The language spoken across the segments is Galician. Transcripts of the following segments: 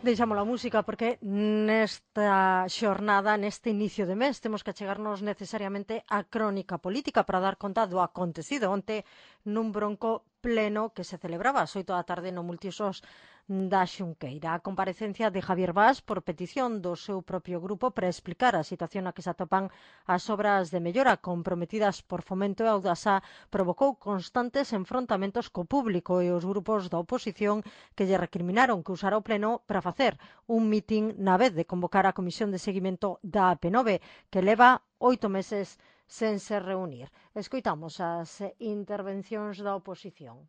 Deixamos a música porque nesta xornada, neste inicio de mes, temos que achegarnos necesariamente á crónica política para dar conta do acontecido onte nun bronco pleno que se celebraba ás 8 da tarde no multiusos da Xunqueira. A comparecencia de Javier Bas por petición do seu propio grupo para explicar a situación na que se atopan as obras de mellora comprometidas por Fomento e Audasa provocou constantes enfrontamentos co público e os grupos da oposición que lle recriminaron que usara o pleno para facer un mitin na vez de convocar a Comisión de Seguimento da AP9, que leva 8 meses sen se reunir. Escoitamos as intervencións da oposición.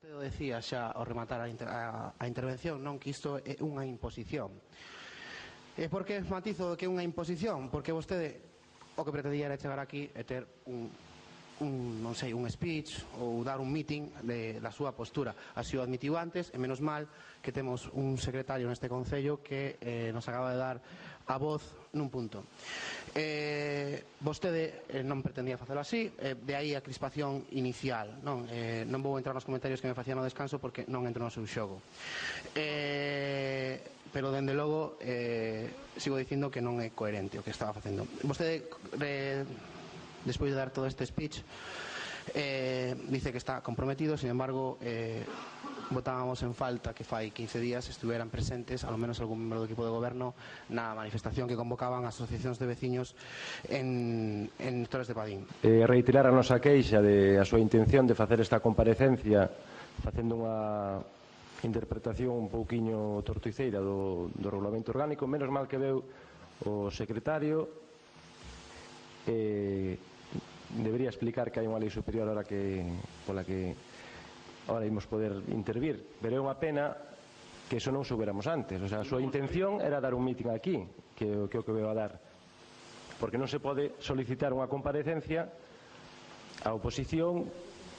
Eu decía xa ao rematar a intervención non que isto é unha imposición. E por que matizo que é unha imposición? Porque vostede o que pretendía era chegar aquí e ter non sei, un speech ou dar un meeting da súa postura. Así o admitiu antes, e menos mal que temos un secretario neste Concello que nos acaba de dar a voz nun punto. Vostede non pretendía facelo así, de aí a crispación inicial. Non vou entrar nos comentarios que me facían no descanso porque non entro no seu xogo. Pero, dende logo, sigo dicindo que non é coherente o que estaba facendo. Vostede, despois de dar todo este speech, dice que está comprometido, sin embargo, votábamos en falta que fai 15 días estuveran presentes, ao menos algún membro do equipo de goberno, na manifestación que convocaban as asociacións de veciños en Torres de Padín. Reiterar a nosa queixa de a súa intención de facer esta comparecencia facendo unha interpretación un pouquiño torticeira do regulamento orgánico. Menos mal que veu o secretario, debería explicar que hai unha lei superior pola que ahora imos poder intervir, pero é unha pena que iso non soubéramos antes. O sea, a súa intención era dar un mitin aquí, que é o que veu a dar, porque non se pode solicitar unha comparecencia á oposición,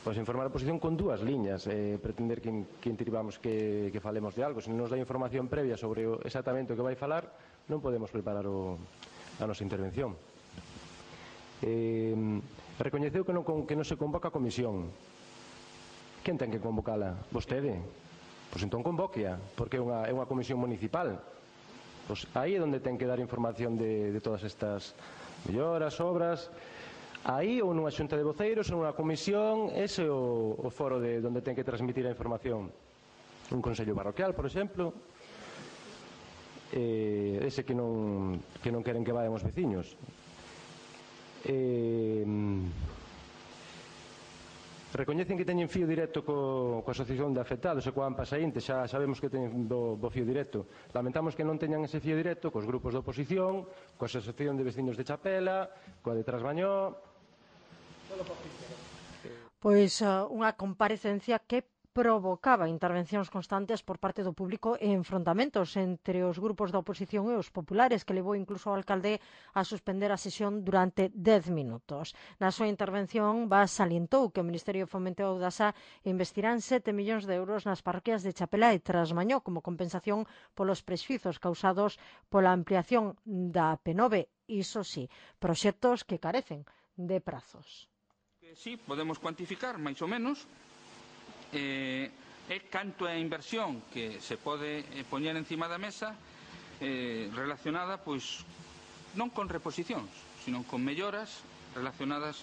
pois informar a oposición con dúas liñas, pretender que intribamos que falemos de algo. Se non nos dá información previa sobre exactamente o que vai falar, non podemos preparar a nosa intervención. Recoñeceu que non se convoca a comisión. Quen ten que convocala? Vostede. Pois entón convóquea, porque é unha comisión municipal. Pois aí é onde ten que dar información de todas estas melloras, obras. Aí ou nunha xunta de voceiros ou nunha comisión, ese é o foro de onde ten que transmitir a información. Un consello parroquial, por exemplo, ese que non queren que vayan os veciños. Recoñecen que teñen fío directo coa asociación de afectados e coa AMPA saínte, xa sabemos que teñen bo fío directo. Lamentamos que non teñan ese fío directo cos grupos de oposición, coa asociación de veciños de Chapela, coa de Trasmañó. Pois unha comparecencia que provocaba intervencións constantes por parte do público e enfrontamentos entre os grupos da oposición e os populares, que levou incluso ao alcalde a suspender a sesión durante 10 minutos. Na súa intervención, Bas salientou que o Ministerio de Fomento e Audasa investirán 7 millóns de euros nas parroquias de Chapela e Trasmañó como compensación polos prexuizos causados pola ampliación da AP9. Iso sí, proxectos que carecen de prazos. Sí, podemos cuantificar, máis ou menos, é canto é a inversión que se pode poñer encima da mesa relacionada, pois, non con reposicións, sino con melloras relacionadas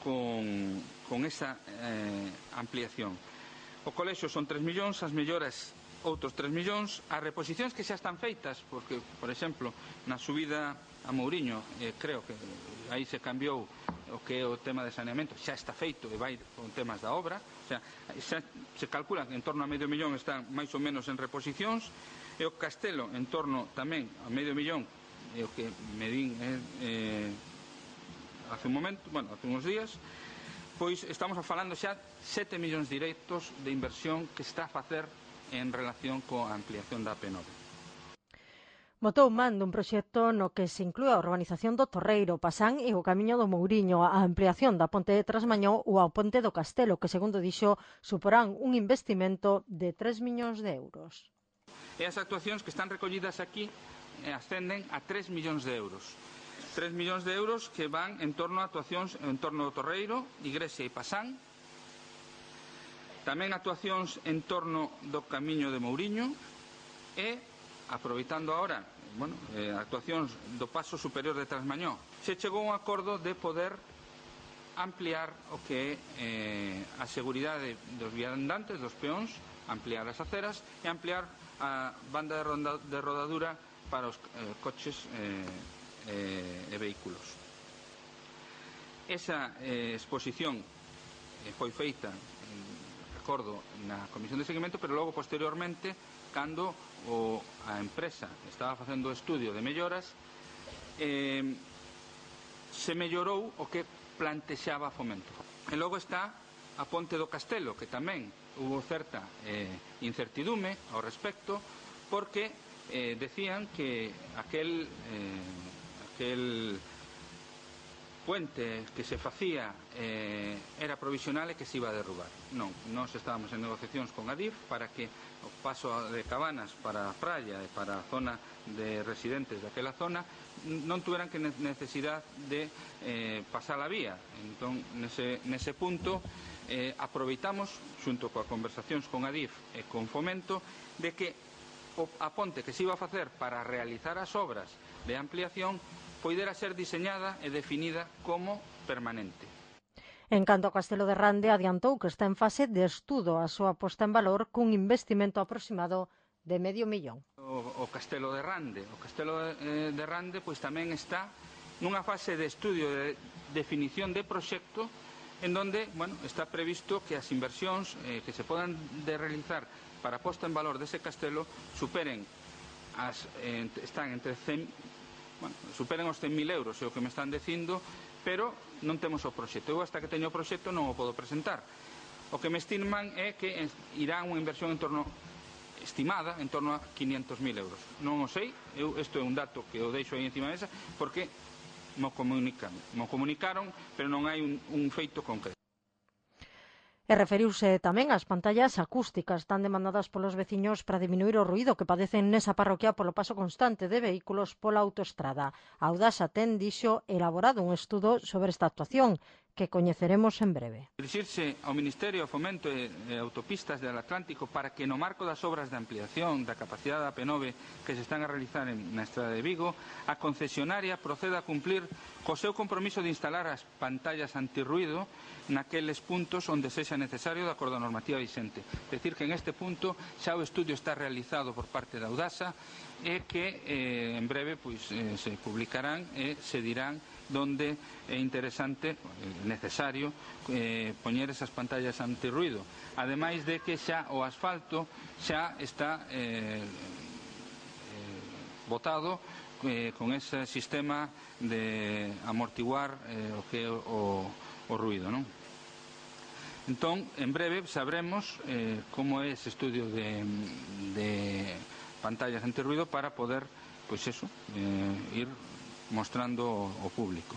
con esa ampliación. O colexio son 3 millóns, as melloras outros 3 millóns, as reposicións que xa están feitas, porque, por exemplo, na subida a Mouriño, creo que aí se cambiou o que é o tema de saneamento, xa está feito e vai con temas da obra, o sea, xa se calcula que en torno a medio millón están máis ou menos en reposicións, e o Castelo en torno tamén a medio millón, é o que medín hace un momento, bueno, hace uns días, pois estamos falando xa 7 millóns directos de inversión que está a facer en relación coa ampliación da AP9. Botou man dun proxecto no que se inclúe a urbanización do Torreiro, Pasán e o Camiño do Mouriño, a ampliación da ponte de Trasmañó ou a ponte do Castelo, que, segundo dixo, suporán un investimento de 3 millóns de euros. E as actuacións que están recollidas aquí ascenden a 3 millóns de euros. 3 millóns de euros que van en torno a actuacións en torno do Torreiro, Igrexa e Pasán. Tamén actuacións en torno do Camiño de Mouriño e, aproveitando agora, actuacións do paso superior de Trasmañó, se chegou a un acordo de poder ampliar o que é a seguridade dos viandantes, dos peóns, ampliar as aceras e ampliar a banda de rodadura para os coches e vehículos. Esa exposición foi feita, recordo, na Comisión de Seguimento, pero logo, posteriormente, cando a empresa estaba facendo o estudio de melloras, se mellorou o que plantexaba Fomento. E logo está a Ponte do Castelo, que tamén hubo certa incertidume ao respecto, porque decían que aquel puente que se facía era provisional e que se iba a derrubar. Non, nós estábamos en negociacións con Adif para que o paso de Cabanas para a praia e para a zona de residentes daquela zona non tuveran que necesidade de pasar a vía. Entón, nese punto, aproveitamos, xunto coa conversacións con Adif e con Fomento, de que a ponte que se iba a facer para realizar as obras de ampliación poidera ser diseñada e definida como permanente. En canto ao Castelo de Rande, adiantou que está en fase de estudo a súa posta en valor cun investimento aproximado de $500.000. O Castelo de Rande. O Castelo de Rande pois tamén está nunha fase de estudio de definición de proxecto en donde está previsto que as inversións que se podan realizar para a posta en valor dese castelo superen están entre 100 superen os 100.000 euros, é o que me están dicindo, pero non temos o proxecto. Eu, hasta que teño o proxecto, non o podo presentar. O que me estiman é que irá unha inversión estimada en torno a 500.000 euros. Non o sei, isto é un dato que o deixo aí encima da mesa, porque mo comunicaron, pero non hai un feito concreto. E referiuse tamén ás pantallas acústicas tan demandadas polos veciños para diminuir o ruído que padecen nesa parroquia polo paso constante de vehículos pola autoestrada. A Audasa ten, dixo, elaborado un estudo sobre esta actuación que coñeceremos en breve. Dirixirse ao Ministerio de Fomento e Autopistas del Atlántico para que no marco das obras de ampliación da capacidade da P9 que se están a realizar na estrada de Vigo, a concesionaria proceda a cumplir co seu compromiso de instalar as pantallas antirruído naqueles puntos onde sexa necesario de acordo á normativa vixente. Decir que en este punto xa o estudio está realizado por parte da Audasa e que en breve se publicarán e se dirán donde é interesante, necesario, poñer esas pantallas antirruído. Ademais de que xa o asfalto xa está botado con ese sistema de amortiguar o que é o ruído, non? Entón, en breve sabremos como é ese estudio de pantallas antirruído para poder, ir mostrando ao público.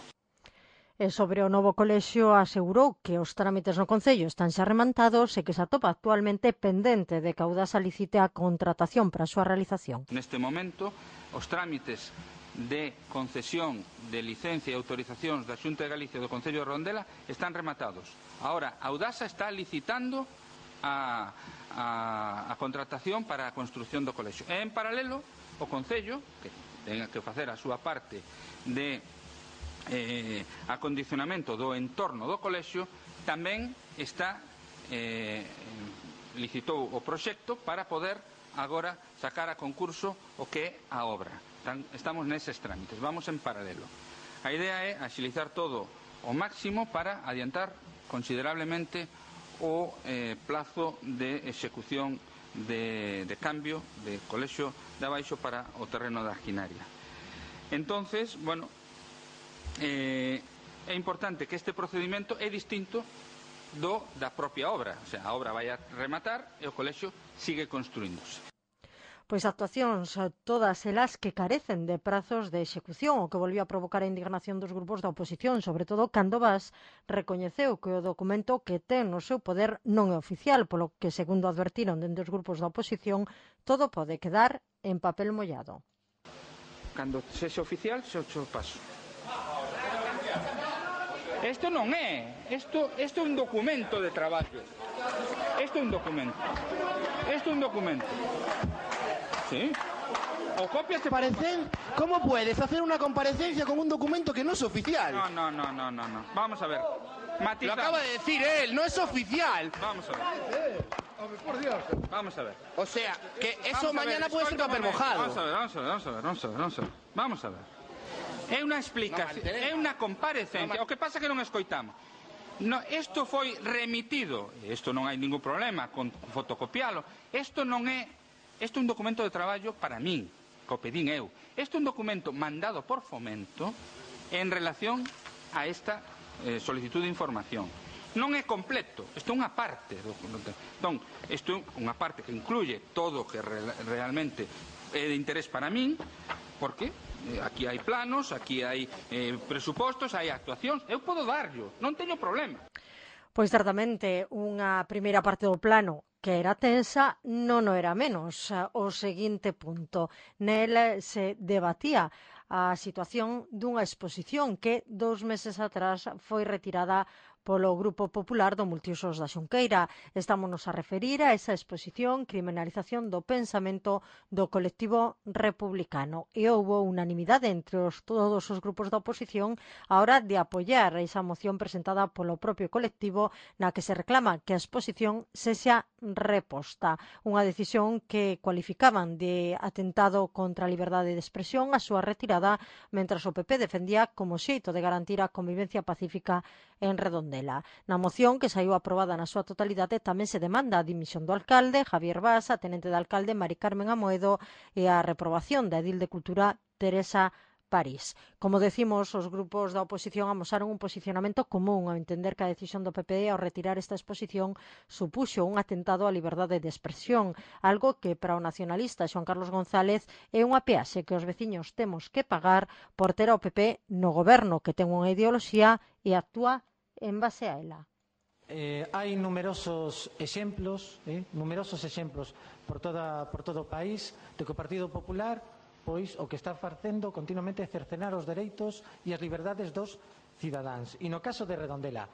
E sobre o novo colexio asegurou que os trámites no Concello están xa remantados e que se atopa actualmente pendente de que a Audasa licite a contratación para a súa realización. Neste momento, os trámites de concesión de licencia e autorizacións da Xunta de Galicia do Concello de Redondela están rematados. Ahora, a Audasa está licitando a contratación para a construción do colexio. E, en paralelo, o Concello, que ten que facer a súa parte de acondicionamento do entorno do colexio, tamén licitou o proxecto para poder agora sacar a concurso o que é a obra. Estamos neses trámites, vamos en paralelo. A idea é axilizar todo o máximo para adiantar considerablemente o plazo de execución de cambio de colexio de abaixo para o terreno da Arquinaria. Entonces, é importante que este procedimento é distinto da propia obra. O sea, a obra vai a rematar e o colexio sigue construíndose. Pois actuacións todas elas que carecen de prazos de execución, o que volvió a provocar a indignación dos grupos da oposición, sobre todo cando Vaz recoñeceu que o documento que ten no seu poder non é oficial, polo que, segundo advertiron dende os grupos da oposición, todo pode quedar en papel mollado. Cando sexa oficial, se o paso. Isto non é, isto é un documento de traballo. Esto é un documento. Esto é un documento. Sí. O copias te ¿Parecen? ¿Cómo puedes hacer una comparecencia con un documento que no es oficial? No. Vamos a ver. Lo acaba de decir él, no es oficial. Vamos a ver. Por Dios. Vamos a ver. O sea, que eso Vamos a mañana ver, puede ser escoita un papel momento. mojado. Vamos a ver. É unha explicación, é unha comparecencia. O que pasa é que non escoitamos. No, isto foi remitido, isto non hai ningún problema con fotocopialo. Isto non é, isto é un documento de traballo para min, que o pedín eu. Isto é un documento mandado por Fomento en relación a esta solicitud de información. Non é completo, isto é unha parte. Entón, isto é unha parte que incluye todo o que realmente é de interés para min, porque aquí hai planos, aquí hai presupostos, hai actuacións, eu podo darllo, non teño problema. Pois certamente unha primeira parte do plano que era tensa non o era menos. O seguinte punto, nel se debatía a situación dunha exposición que 2 meses atrás foi retirada polo Grupo Popular do Multiusos da Xunqueira. Estámonos a referir a esa exposición Criminalización do Pensamento do colectivo republicano. E houbo unanimidade entre todos os grupos da oposición a hora de apoiar esa moción presentada polo propio colectivo na que se reclama que a exposición sexa reposta. Unha decisión que cualificaban de atentado contra a liberdade de expresión a súa retirada, mentras o PP defendía como xeito de garantir a convivencia pacífica en Redondela. Na moción, que saiu aprobada na súa totalidade, tamén se demanda a dimisión do alcalde, Javier Bas, a tenente de alcalde, Mari Carmen Amoedo, e a reprobación da edil de Cultura, Teresa París. Como decimos, os grupos da oposición amosaron un posicionamento común ao entender que a decisión do PP ao retirar esta exposición supuxo un atentado á liberdade de expresión, algo que para o nacionalista Xoán Carlos González é unha peaxe que os veciños temos que pagar por ter ao PP no goberno, que ten unha ideoloxía e actúa en base a ela. Hai numerosos exemplos por todo o país de que o Partido Popular pois o que está facendo continuamente é cercenar os dereitos e as liberdades dos cidadáns. E no caso de Redondela,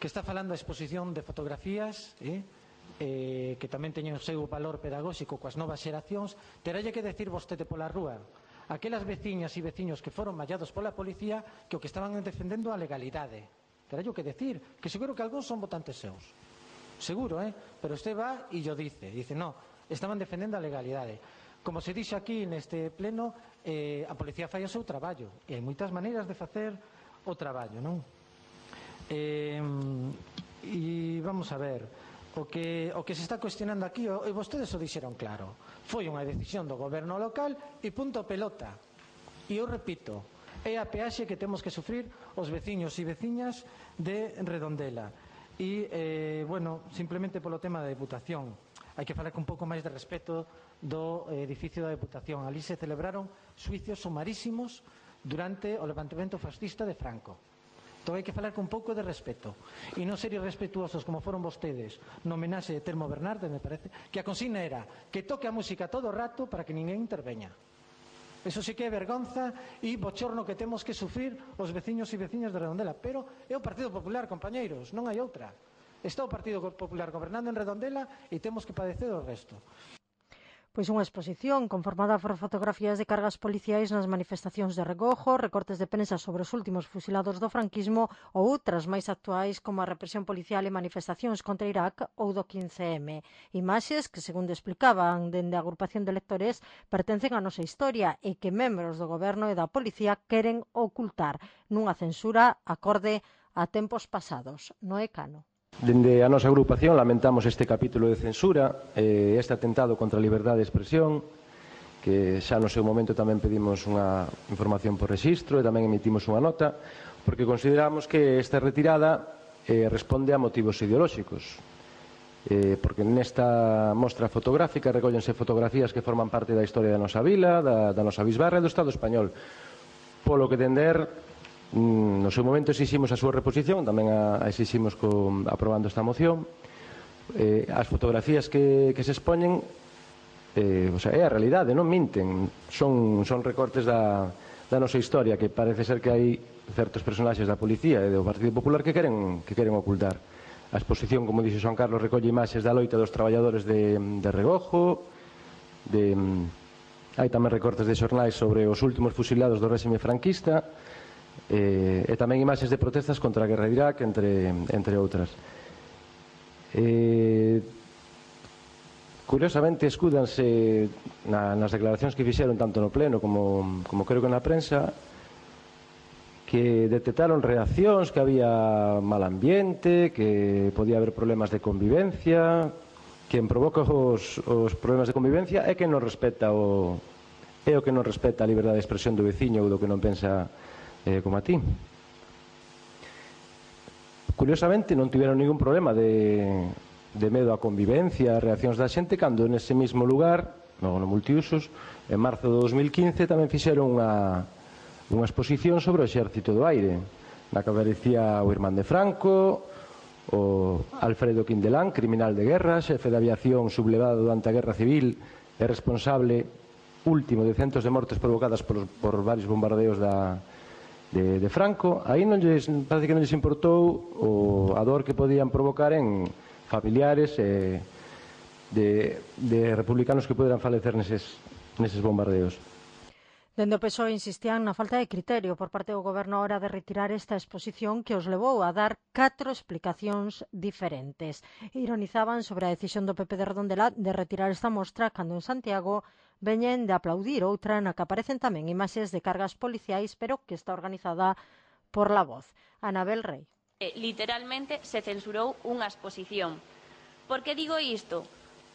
que está falando a exposición de fotografías, que tamén teñen o seu valor pedagóxico coas novas xeracións, terálle que decir vostede pola rúa aquelas veciñas e veciños que foron mallados pola policía que o que estaban defendendo a legalidade. Terálle que decir, que seguro que algúns son votantes seus. Seguro, pero usted va e yo dice, no, estaban defendendo a legalidade. Como se dixe aquí neste pleno, a policía fai o seu traballo e hai moitas maneiras de facer o traballo, non? E vamos a ver, o que se está cuestionando aquí, e vostedes o dixeron claro, foi unha decisión do goberno local e punto pelota. E eu repito, é a peaxe que temos que sufrir os veciños e veciñas de Redondela. E, bueno, simplemente polo tema da Deputación, hai que falar con un pouco máis de respeto do edificio da Deputación. Ali se celebraron xuicios sumarísimos durante o levantamento fascista de Franco. Entón hai que falar con un pouco de respeto e non ser irrespetuosos como foron vostedes no homenaxe de Telmo Bernardes, me parece, que a consigna era que toque a música todo o rato para que ninguén interveña. Eso sí que é vergonza e bochorno que temos que sufrir os veciños e veciñas de Redondela. Pero é o Partido Popular, compañeiros, non hai outra. Está o Partido Popular gobernando en Redondela e temos que padecer o resto. Pois unha exposición conformada por fotografías de cargas policiais nas manifestacións de Regojo, recortes de prensa sobre os últimos fusilados do franquismo ou outras máis actuais como a represión policial e manifestacións contra Irak ou do 15M. Imaxes que, segundo explicaban dende a agrupación de lectores, pertencen á nosa historia e que membros do goberno e da policía queren ocultar nunha censura acorde a tempos pasados. Noé Cano. Dende a nosa agrupación lamentamos este capítulo de censura, este atentado contra a liberdade de expresión, que xa no seu momento tamén pedimos unha información por rexistro e tamén emitimos unha nota, porque consideramos que esta retirada responde a motivos ideolóxicos, porque nesta mostra fotográfica recóllense fotografías que forman parte da historia da nosa vila, da nosa bisbarra e do Estado español, polo que tender. No seu momento exiximos a súa reposición, tamén a exiximos aprobando esta moción. As fotografías que se expoñen é a realidade, non minten, son recortes da nosa historia, que parece ser que hai certos personaxes da policía e do Partido Popular que queren ocultar. A exposición, como dixe Xoan Carlos, recolle imaxes da loita dos traballadores de Regojo, hai tamén recortes de xornais sobre os últimos fusilados do réxime franquista, e tamén imaxes de protestas contra a guerra de Irak, entre outras. Curiosamente, escúdanse nas declaracións que fixeron tanto no pleno como creo que na prensa, que detectaron reaccións, que había mal ambiente, que podía haber problemas de convivencia. Quen provoca os problemas de convivencia é quen non respeta o que non respeta a liberdade de expresión do veciño ou do que non pensa como a ti. Curiosamente, non tiveron ningún problema de medo á convivencia, reaccións da xente, cando nese mesmo lugar, no multiusos, en marzo de 2015 tamén fixeron unha exposición sobre o exército do aire, na que aparecía o irmán de Franco, o Alfredo Quindelán, criminal de guerra, xefe de aviación sublevado durante a guerra civil e responsable último de centos de mortes provocadas por varios bombardeos de Franco. Aí parece que non lles importou a dor que podían provocar en familiares de republicanos que poderan falecer neses bombardeos. Dende o PSOE insistían na falta de criterio por parte do Goberno a hora de retirar esta exposición que os levou a dar 4 explicacións diferentes. Ironizaban sobre a decisión do PP de Redondela de retirar esta mostra cando en Santiago veñen de aplaudir outra na que aparecen tamén imaxes de cargas policiais, pero que está organizada por La Voz. Anabel Rei. Literalmente se censurou unha exposición. Por que digo isto?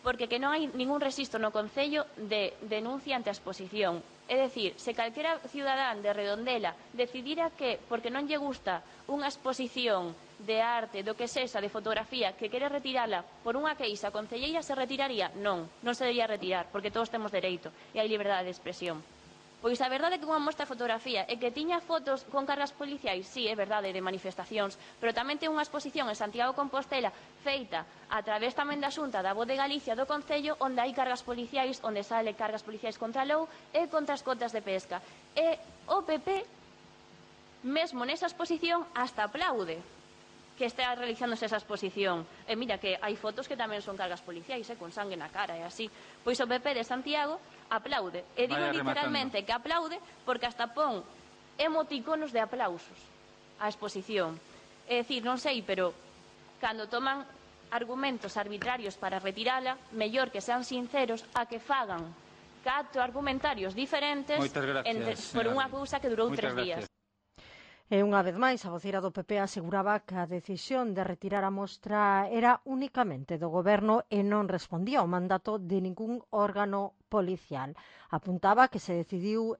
Porque que non hai ningún rexistro no Concello de denuncia ante a exposición. É dicir, se calquera cidadán de Redondela decidira que, porque non lle gusta unha exposición de arte, do que sexa, de fotografía, que quere retirala por unha queixa concelleira, se retiraría? Non, non se debería retirar, porque todos temos dereito e hai liberdade de expresión. Pois a verdade é que unha mostra fotografía e que tiña fotos con cargas policiais, sí, é verdade, de manifestacións, pero tamén ten unha exposición en Santiago de Compostela feita a través tamén da Xunta da Voz de Galicia do Concello, onde hai cargas policiais, onde sale cargas policiais contra a LOU e contra as cotas de pesca. E o PP, mesmo nesa exposición, hasta aplaude que está realizándose esa exposición. E mira que hai fotos que tamén son cargas policiais, con sangue na cara e así. Pois o PP de Santiago aplaude. E digo literalmente que aplaude porque hasta pon emoticonos de aplausos á exposición. É dicir, non sei, pero cando toman argumentos arbitrarios para retirala, mellor que sean sinceros a que fagan 4 argumentarios diferentes por unha cousa que durou 3 días. E unha vez máis, a voceira do PP aseguraba que a decisión de retirar a mostra era únicamente do Goberno e non respondía ao mandato de ningún órgano policial. Apuntaba que se decidiu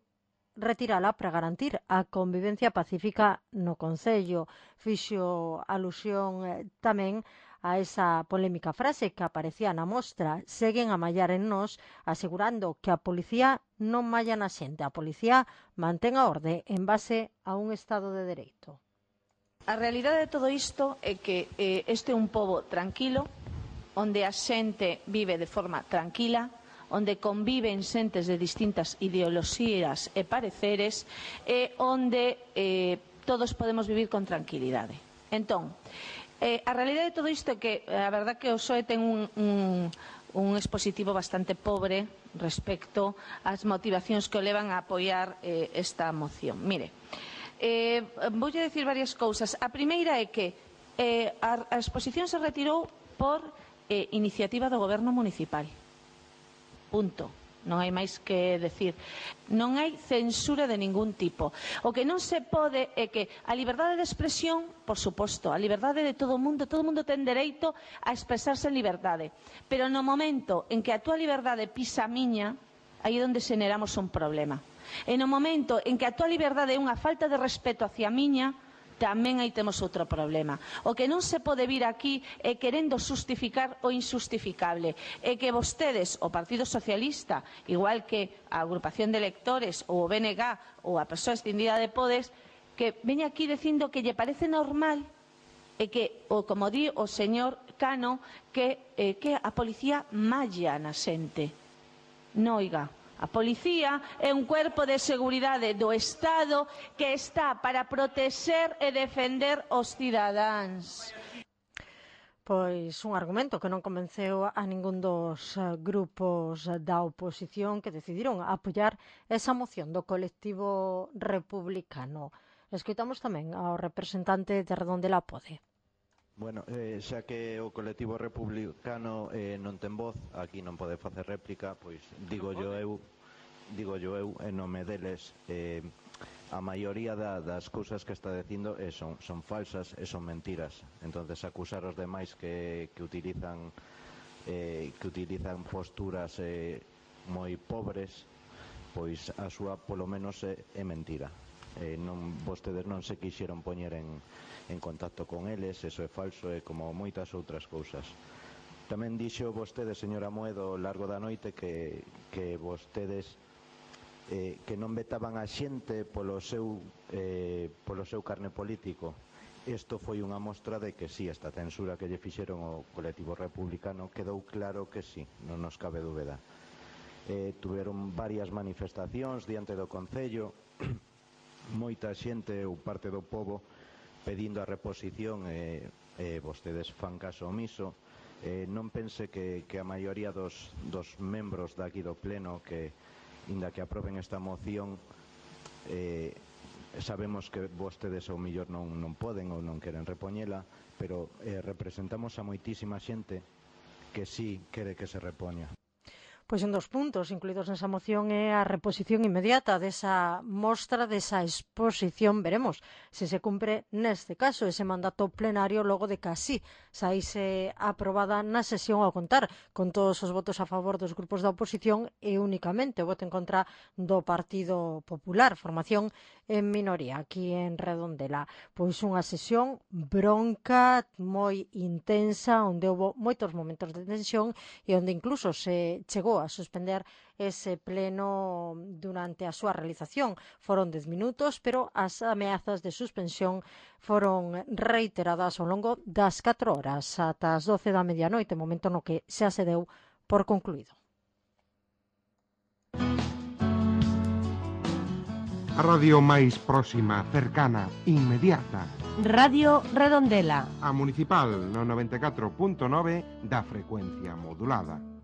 retirala para garantir a convivencia pacífica no Concello. Fixo alusión tamén a esa polémica frase que aparecía na mostra: seguen a mallar en nós, asegurando que a policía non malla na xente, a policía mantén a orde en base a un Estado de Dereito. A realidade de todo isto é que este é un pobo tranquilo, onde a xente vive de forma tranquila, onde conviven xentes de distintas ideoloxías e pareceres, e onde todos podemos vivir con tranquilidade. Entón, a realidade de todo isto é que a verdad que o PSOE ten un expositivo bastante pobre respecto ás motivacións que o levan a apoiar esta moción. Mire, voulle dicir varias cousas. A primeira é que a exposición se retirou por iniciativa do Goberno municipal. Punto. Non hai máis que decir. Non hai censura de ningún tipo. O que non se pode é que a liberdade de expresión, por suposto, a liberdade de todo o mundo ten dereito a expresarse en liberdade. Pero no momento en que a túa liberdade pisa a miña, aí é onde xeneramos un problema. E no momento en que a túa liberdade é unha falta de respeto hacia a miña, tamén aí temos outro problema. O que non se pode vir aquí é querendo xustificar o injustificable. É que vostedes, o Partido Socialista, igual que a agrupación de electores ou o BNG ou a persoa extendida de Podes, que veña aquí dicindo que lle parece normal e que, como di o señor Cano, que a policía malla na xente. Non, oiga. A policía é un cuerpo de seguridade do Estado que está para protexer e defender os cidadáns. Pois un argumento que non convenceu a ningún dos grupos da oposición que decidiron apoiar esa moción do colectivo republicano. Escoitamos tamén ao representante de Redondela Pode. Bueno, xa que o colectivo republicano non ten voz, aquí non pode facer réplica, pois digo eu, en nome deles, a maioría das cousas que está dicindo son falsas e son mentiras. Entonces acusar os demais que utilizan posturas moi pobres, pois a súa polo menos é mentira. Vostedes non se quixeron poñer en contacto con eles, eso é falso, e como moitas outras cousas. Tamén dixo vostede, señora Moedo, ao largo da noite que vostedes que non vetaban a xente polo seu carne político. Isto foi unha mostra de que sí, esta censura que lle fixeron ao colectivo republicano quedou claro que sí, non nos cabe dúbida. Tuveron varias manifestacións diante do Concello, moita xente ou parte do pobo pedindo a reposición e vostedes fan caso omiso. Non pense que a maioría dos membros daqui do pleno que inda que aproben esta moción, sabemos que vostedes ao millor non poden ou non queren repoñela, pero representamos a moitísima xente que sí quere que se repoña. Pois un dos puntos incluídos nesa moción é a reposición inmediata desa mostra, desa exposición. Veremos se se cumpre neste caso ese mandato plenario logo de que así saíse aprobada na sesión ao contar con todos os votos a favor dos grupos da oposición e únicamente o voto en contra do Partido Popular, formación en minoría aquí en Redondela. Pois unha sesión bronca, moi intensa, onde houve moitos momentos de tensión e onde incluso se chegou a suspender ese pleno durante a súa realización. Foron 10 minutos, pero as ameazas de suspensión foron reiteradas ao longo das 4 horas, ata as 12 da medianoite, momento no que xa se deu por concluído. A radio máis próxima, cercana, inmediata. Radio Redondela. A municipal no 94.9 da frecuencia modulada.